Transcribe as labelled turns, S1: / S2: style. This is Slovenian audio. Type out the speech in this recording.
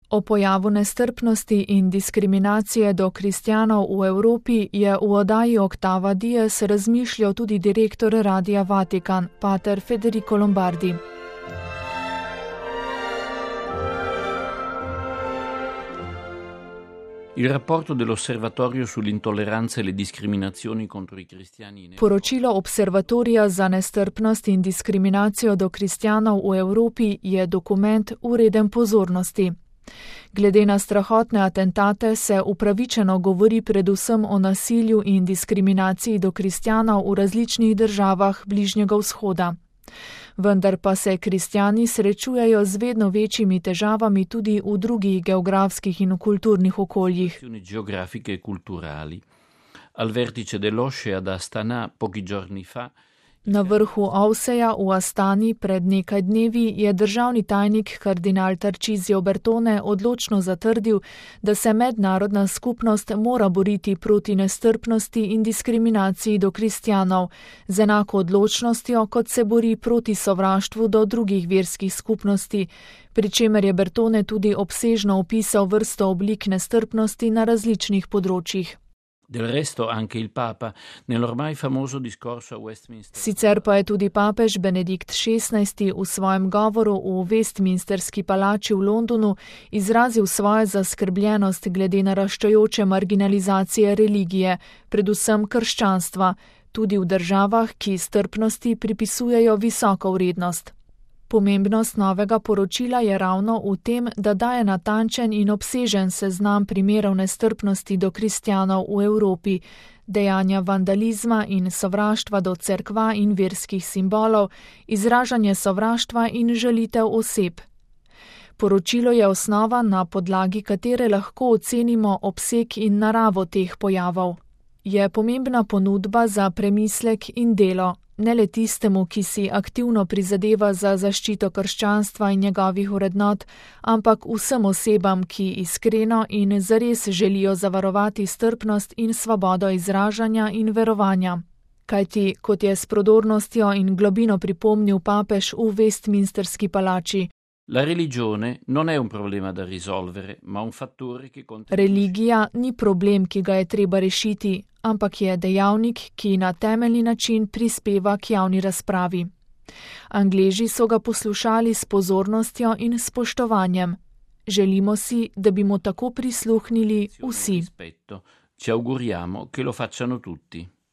S1: O pojavu nestrpnosti in diskriminacije do kristjanov v Evropi je v oddaji Octava Dies razmišljal tudi direktor Radia Vatikan, pater Federico Lombardi.
S2: Il rapporto dell'Osservatorio sull'intolleranza e le discriminazioni contro i cristiani.
S1: Poročilo Observatorija za nestrpnost in diskriminacijo do kristjanov v Evropi je dokument vreden pozornosti. Glede na strahotne atentate se upravičeno govori predvsem o nasilju in diskriminaciji do kristjanov v različnih državah Bližnjega vzhoda. Vendar pa se kristjani srečujejo z vedno večjimi težavami tudi v drugih geografskih in kulturnih okoljih.
S2: Geografiche e culturali. Al vertice dell'OSCE ad Astana pochi giorni fa.
S1: Na vrhu OVSE-ja v Astani pred nekaj dnevi je državni tajnik kardinal Tarcisio Bertone odločno zatrdil, da se mednarodna skupnost mora boriti proti nestrpnosti in diskriminaciji do kristjanov, z enako odločnostjo, kot se bori proti sovraštvu do drugih verskih skupnosti, pri čemer je Bertone tudi obsežno opisal vrsto oblik nestrpnosti na različnih področjih.
S2: Del resto anche il Papa nell'ormai famoso discorso a Westminster.
S1: Sicer pa je tudi papež Benedikt XVI v svojem govoru v Westminsterski palači v Londonu izrazil svojo zaskrbljenost glede naraščajoče marginalizacije religije, predvsem krščanstva, tudi v državah, ki strpnosti pripisujejo visoko vrednost. Pomembnost novega poročila je ravno v tem, da daje natančen in obsežen seznam primerov nestrpnosti do kristjanov v Evropi, dejanja vandalizma in sovraštva do cerkva in verskih simbolov, izražanje sovraštva in žalitev oseb. Poročilo je osnova, na podlagi katere lahko ocenimo obseg in naravo teh pojavov. Je pomembna ponudba za premislek in delo. Ne le tistemu, ki si aktivno prizadeva za zaščito krščanstva in njegovih vrednot, ampak vsem osebam, ki iskreno in zares želijo zavarovati strpnost in svobodo izražanja in verovanja. Kajti, kot je s prodornostjo in globino pripomnil papež v Westminsterski palači,
S2: La religione non è un problema da risolvere, ma un fattore che contribuisce.
S1: Religija ni problem, ki ga je treba rešiti, ampak je dejavnik, ki na temeljni način prispeva k javni razpravi. Angleži so ga poslušali s pozornostjo in spoštovanjem. Želimo si, da bi mu tako prisluhnili vsi.
S2: Ci auguriamo che lo facciano tutti.